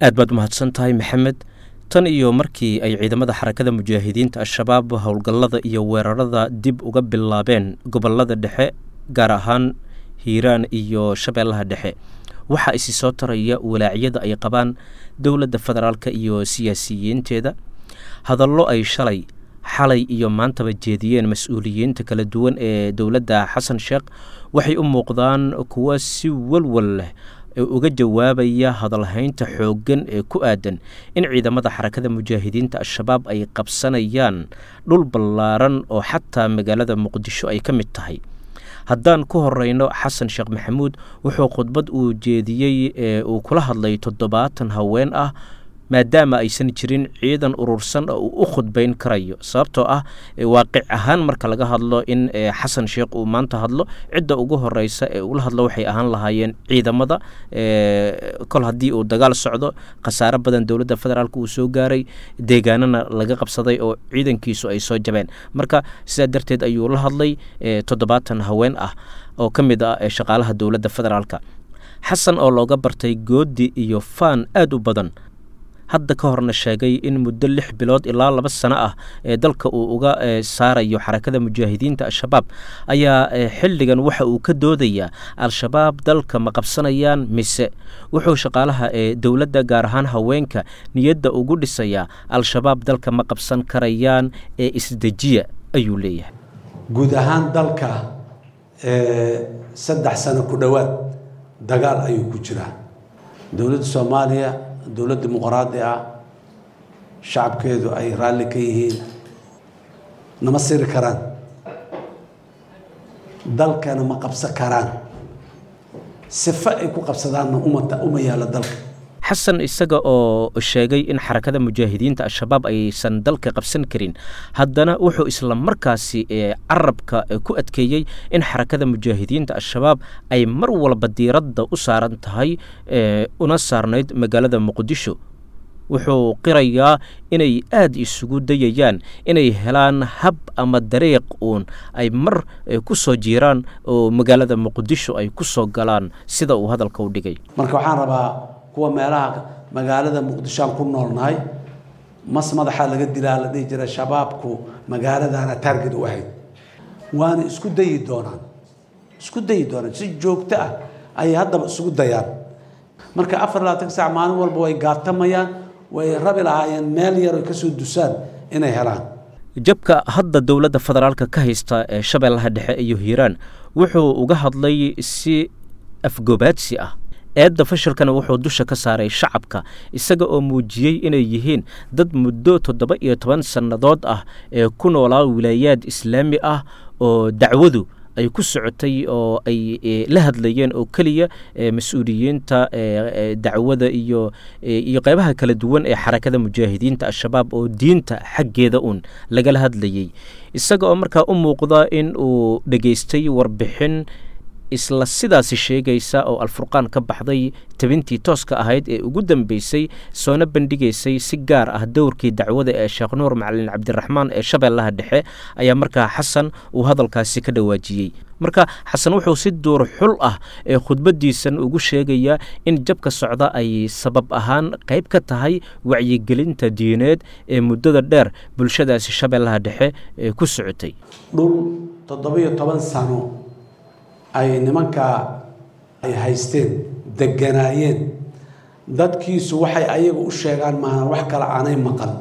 Aad baad umahadsan tahay, Maxamed. Tan iyo markii ay ciidamada Xarakada Mujaahidiinta Al-Shabaab howlgallada iyo weerarada dib uga bilaabeen gobollada dhexe, gaar ahaan Hiiraan iyo Shabeellaha Dhexe, waxaa isi soo taraya walaacyada ay qabaan dowladda federaalka iyo siyaasiyiinteeda. Hadallo ay shalay, xalay iyo maantaba jeediyeen mas-uuliyiinta kala duwan ee dowladda Xasan Sheekh waxay u muuqdaan kuwo si walwal leh uga jawaabaya hadalhaynta xooggan ee ku aadan in ciidamada Xarakada Mujaahidiinta Al-Shabaab ay qabsanayaan dhul ballaaran oo xataa magaalada Muqdisho ay ka mid tahay. Haddaan ku horeyno Xasan Sheekh Maxamuud, wuxuu khudbad uu jeediyey ee uu kula hadlay 70 haween ah, maadaama aysan jirin ciidan urursan oo uu u khudbayn karayo, sababtoo ah waaqic ahaan marka laga hadlo in Xasan Sheekh uu maanta hadlo, cidda ugu horeysa ee ula hadlo waxay ahaan lahaayeen ciidamada. Kol haddii uu dagaal socdo, khasaare badan dowladda federaalk uu soo gaaray, deegaanana laga qabsaday oo ciidankiisu ay soo jabeen, marka sidaa darteed ayuu la hadlay 70 haween ah oo ka mid ah shaqaalaha dowladda federaalka. Xasan oo looga bartay goodi iyo faan aad u badan, hadda ka horna sheegay in muddo 6 bilood ilaa 2 sano ah ee dalka uu uga saarayo Xarakada Mujaahidiinta Al-Shabaab, ayaa xilligan waxa uu ka doodayaa Al-Shabaab dalka ma qabsanayaan mise. Wuxuu shaqaalaha ee dowladda, gaar ahaan haweenka, niyadda ugu dhisayaa Al-Shabaab dalka ma qabsan karayaan ee isdejiya ayuu leeyahay. Guud ahaan dalka 3 sano ku dhowaad dagaal ayuu ku jiraa. Dowladda Soomaaliya, dowlad dimuqraadi ah, shacabkeedu ay raalli ka yihiin, nama siri karaan, dalkana ma qabsan karaan, sife ay ku qabsadaanna uma yaalla dalka. Xasan isaga oo sheegay in Xarakada Mujaahidiinta Al-Shabaab aysan dalka qabsan karin, haddana wuxuu isla markaasi carabka ku adkeeyey in Xarakada Mujaahidiinta Al-Shabaab ay mar walba diiradda u saaran tahay una saarnayd magaalada Muqdisho. Wuxuu qirayaa inay aad isugu dayayaan inay helaan hab ama dariiq uun ay mar ku soo jiiraan oo magaalada Muqdisho ay ku soo galaan, sida uu hadalka u dhigay. Marka waxaan rabaa kuwa meelaha magaalada Muqdisho aan ku noolnahay, mas madaxaa laga dilaa la dhihi jira, Shabaabku magaaladana taarget u ahayd, waana isku dayi doonaan, isku dayi doonaan, si joogto ah ayay haddaba isugu dayaan. Marka 24 saac maalin walba way gaatamayaan, way rabi lahaayeen meel yar oy kasoo dusaan inay helaan. Jabka hadda dowladda federaalka ka haysta ee Shabeellaha Dhexe iyo Hiiraan wuxuu uga hadlay si afgobaadsi ah. Eedda fashilkana wuxuu dusha ka saaray shacabka, isaga oo muujiyey inay yihiin dad muddo 17 sannadood ah ee ku noolaa wilaayaad islaami ah oo dacwadu ay ku socotay oo ay la hadlayeen oo keliya mas-uuliyiinta dacwada iyo qeybaha kala duwan ee Xarakada Mujaahidiinta Al-Shabaab, oo diinta xaggeeda uun lagala hadlayey. Isaga oo markaa u muuqda in uu dhegaystay warbixin isla sidaasi sheegaysa oo Alfurqaan ka baxday tabintii tooska ahayd ee ugu dambeysay, soona bandhigaysay si gaar ah dowrkii dacwada ee Sheekh Nuur Macalin Cabdiraxmaan ee Shabeellaha Dhexe, ayaa markaa Xasan uu hadalkaasi ka dhawaajiyey. Marka Xasan wuxuu si duur xul ah ee khudbadiisan ugu sheegayaa in jabka socda ay sabab ahaan qayb ka tahay wacyigelinta diineed ee muddada dheer bulshadaasi Shabeellaha Dhexe ee ku socotay. Dhul 17 sano ay nimankaa ay haysteen, deganaayeen, dadkiisu waxay ayaga u sheegaan maahan wax kale aanay maqal,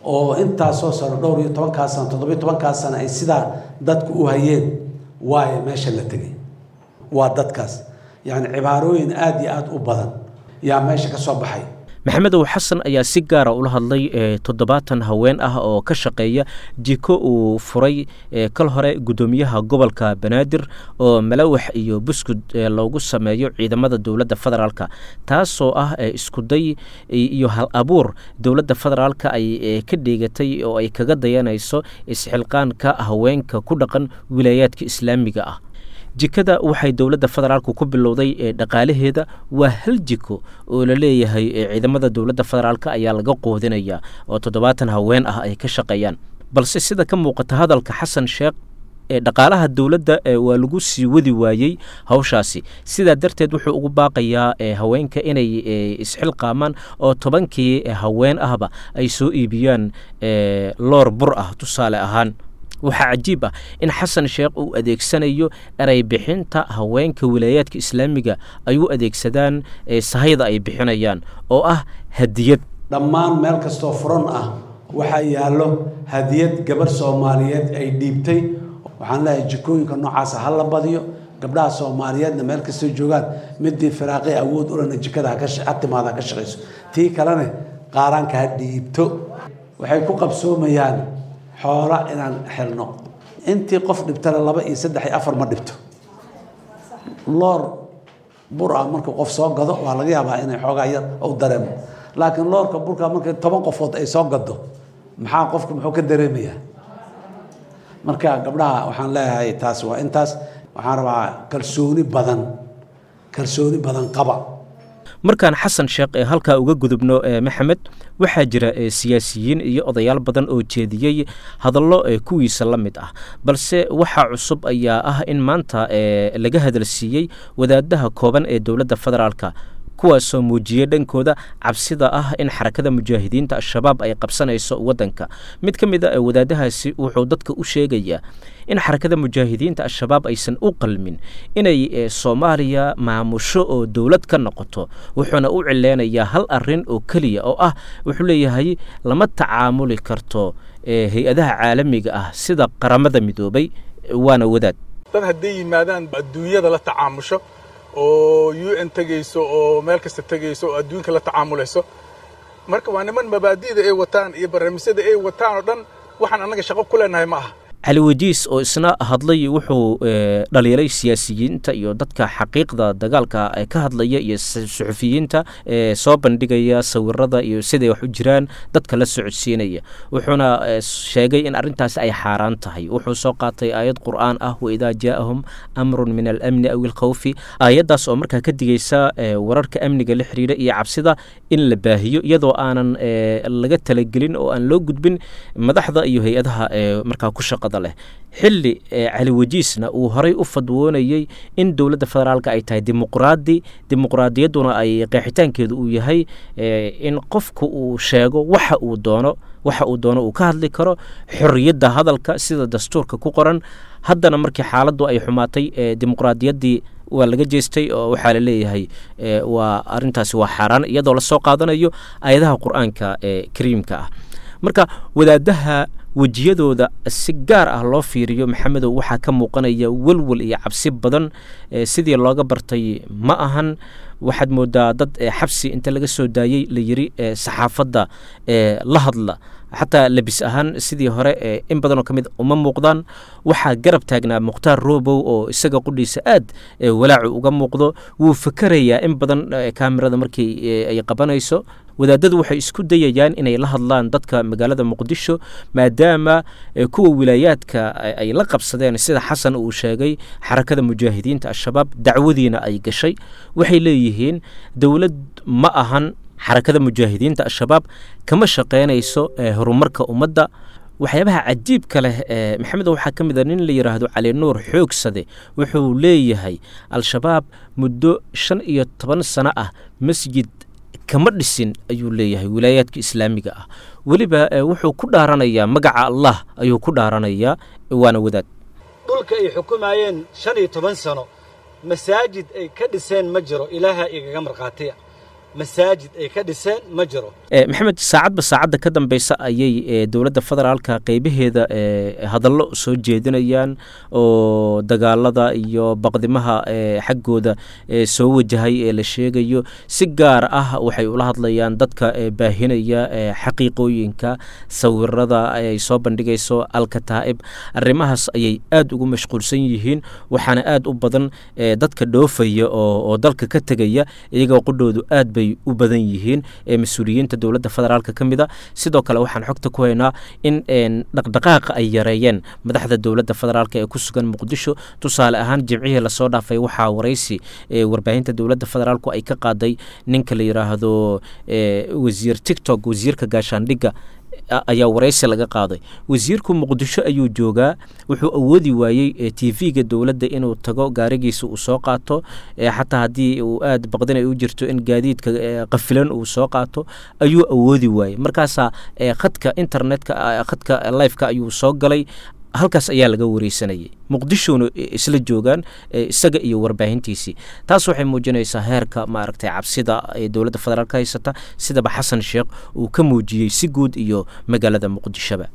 oo intaasoo sano, dhowr iyo tobankaa sano, 17-kaa sano ay sidaa dadku u hayeen, waayo meesha la tegay waa dadkaas. Yacni cibaarooyin aada iyo aada u badan yaa meesha ka soo baxay. Maxamedow, Xasan ayaa si gaara ula hadlay 70 haween ah oo ka shaqeeya jiko uu furay kal hore guddoomiyaha gobolka Banaadir, oo malawax iyo buskud loogu sameeyo ciidamada dowladda federaalka, taasoo ah iskuday iyo hal abuur dowladda federaalka ay ka dheegatay oo ay kaga dayanayso isxilqaanka haweenka ku dhaqan wilaayaadka islaamiga ah. Jikada waxay dowladda federaalku ku bilowday ee dhaqaalaheeda waa hal jiko oo la leeyahay ciidamada dowladda federaalka ayaa laga qoodinayaa oo 70 haween ah ay ka shaqeeyaan, balse sida ka muuqata hadalka Xasan Sheekh Dhaqaalaha dowladda waa lagu sii wadi waayey hawshaasi. Sidaa darteed wuxuu ugu baaqayaa haweenka inay isxilqaamaan oo 10kii haween ahba ay soo iibiyaan loor bur ah tusaale ahaan. Waxaa cajiib ah in Xasan Sheekh uu adeegsanayo erey bixinta haweenka wilaayaadka islaamiga ay u adeegsadaan sahayda ay bixinayaan oo ah hadiyad. Dhammaan meel kastoo furan ah waxaa yaallo hadiyad gabar Soomaaliyeed ay dhiibtay. Waxaan leeyahay jikooyinka noocaasa ha la badiyo. Gabdhaha Soomaaliyeedna meel kastoo joogaan, midii firaaqay awood ulena jikada ha timaada ha ka shaqayso, tii kalena qaaraanka ha dhiibto. Waxay ku qabsoomayaan xoola inaan xelno. Intii qof dhibtana 2 iyo 3 iyo 4 ma dhibto. Loor bur ah markuu qof soo gado waa laga yaabaa inay xoogaa yar u dareemo, laakiin loorka burka markii 10 qofood ay soo gado, maxaa qofku muxuu ka dareemayaa? Marka gabdhaha waxaan leeyahay taas waa intaas. Waxaan rabaa kalsooni badan, kalsooni badan qaba. Markaan Xasan Sheekh ee halkaa uga gudubno, Maxamed, waxaa jira siyaasiyiin iyo odayaal badan oo jeediyey hadallo kuwiisa la mid ah, balse waxaa cusub ayaa ah in maanta laga hadalsiiyey wadaadaha kooban ee dowladda federaalka, kuwaasoo muujiyey dhankooda cabsida ah in Xarakada Mujaahidiinta Al-Shabaab ay qabsanayso waddanka. Mid ka mid a wadaadahaasi wuxuu dadka u sheegayaa in Xarakada Mujaahidiinta Al-Shabaab aysan u qalmin inay Soomaaliya maamusho oo dowlad ka noqoto, wuxuuna u cileynayaa hal arrin oo keliya oo ah, wuxuu leeyahay, lama tacaamuli karto hay-adaha caalamiga ah sida Qaramada Midoobay. Waana wadaad. Dad hadday yimaadaan adduunyada la tacaamusho oo UN tegayso oo meel kasta tegayso oo adduunka la tacaamulayso, marka waa niman mabaadi'da ay wataan iyo barnaamijyada ay wataan oo dhan waxaan annaga shaqo ku leenahay ma aha. Cali Wajiis oo isna hadlay wuxuu dhaliilay siyaasiyiinta iyo dadka xaqiiqda dagaalka ka hadlaya iyo suxufiyiinta soo bandhigaya sawirada iyo siday wax u jiraan dadka la socodsiinaya, wuxuuna sheegay in arrintaasi ay xaaraan tahay. Wuxuu soo qaatay aayad qur'aan ah, waidaa jaa'ahum amrun min alamni aw ilkhawfi, aayaddaas oo markaa ka digaysa wararka amniga la xiriira iyo cabsida in la baahiyo iyadoo aanan laga talagelin oo aan loo gudbin madaxda iyo hay-adaha markaa ku shaqada leh. Xilli Cali Wajiisna uu horay u fadwoonayey in dowladda federaalka ay tahay dimuqraadi, dimuqraadiyadduna ay qeexitaankeedu uu yahay in qofku uu sheego waxa uu doono, waxa uu doono uu ka hadli karo, xorriyadda hadalka sida dastuurka ku qoran. Haddana markii xaaladdu ay xumaatay, dimuqraadiyaddii waa laga jeestay oo waxaa la leeyahay waa arrintaasi waa xaaraan, iyadoo lasoo qaadanayo aayadaha qur-aanka ee kariimka ah. Marka wadaadaha wejiyadooda si gaar ah loo fiiriyo, Maxamedow, waxaa ka muuqanaya welwel iyo cabsi badan. Sidii looga bartay ma ahan. Waxaad moodaa dad xabsi inta laga soo daayey la yiri saxaafadda la hadla. Xataa labis ahaan sidii hore in badanoo ka mid uma muuqdaan. Waxaa garab taagnaa Mukhtaar Robow oo isaga qudhiisa aad walaacu uga muuqdo. Wuu fakerayaa in badan kaamirada markii ay qabanayso. Wadaadadu waxay isku dayayaan inay la hadlaan dadka magaalada Muqdisho, maadaama kuwa wilaayaadka ay la qabsadeen, sida Xasan uu sheegay, Xarakada Mujaahidiinta Al-Shabaab, dacwadiina ay gashay. Waxay leeyihiin dowlad ma ahan Xarakada Mujaahidiinta Al-Shabaab, kama shaqaynayso horumarka ummadda. Waxyaabaha cajiibka leh Maxamed, waxaa ka mid a nin la yidhaahdo Cali Nuur Xoogsade. Wuxuu leeyahay Al-Shabaab muddo 15 sano ah masjid kama dhisin, ayuu leeyahay, wilaayaadka islaamiga ah. Weliba wuxuu ku dhaaranayaa magaca Allah ayuu ku dhaaranayaa. Waana wadaad. Dhulka ay xukumayeen 15 sano masaajid ay ka dhiseen ma jiro. Ilaaha igaga markhaatiya, masaajid ay ka dhiseen ma jiro. Maxamed, saacadba saacadda ka dambeysa ayay dowladda federaalka qeybaheeda hadallo soo jeedinayaan oo dagaalada iyo baqdimaha xaggooda soo wajahay ee la sheegayo. Si gaar ah waxay ula hadlayaan dadka baahinaya xaqiiqooyinka sawirada ay soo bandhigayso Alkataa'ib. Arrimahaas ayay aad ugu mashquulsan yihiin, waxaana aad u badan dadka dhoofaya oo dalka ka tegaya, iyagoo qudhoodu aad bay u badan yihiin ee mas-uuliyiinta dowladda federaalka ka mid a. Sidoo kale waxaan xogta ku haynaa in dhaqdhaqaaqa ay yareeyeen madaxda dowladda federaalka ee ku sugan Muqdisho. Tusaale ahaan, jimcihii lasoo dhaafay waxaa waraysi warbaahinta dowladda federaalku ay ka qaaday ninka la yidhaahdo wasiir TikTok, wasiirka gaashaandhigga. Ayaa waraysi laga qaaday. Wasiirku Muqdisho ayuu joogaa, wuxuu awoodi waayey TV-ga dowladda inuu tago, gaarigiisa uu soo qaato, xataa haddii uu aada baqdin ay u jirto in gaadiidka qafilan uu soo qaato ayuu awoodi waayey. Markaasaa khadka internetka, khadka lifeka ayuu soo galay, halkaas ayaa laga wareysanayay. Muqdishona isla joogaan isaga iyo warbaahintiisii. Taas waxay muujinaysaa heerka maaragtay cabsida ee dowladda federaalka haysata, sidaba Xasan Sheekh uu ka muujiyey si guud iyo magaalada Muqdishoba.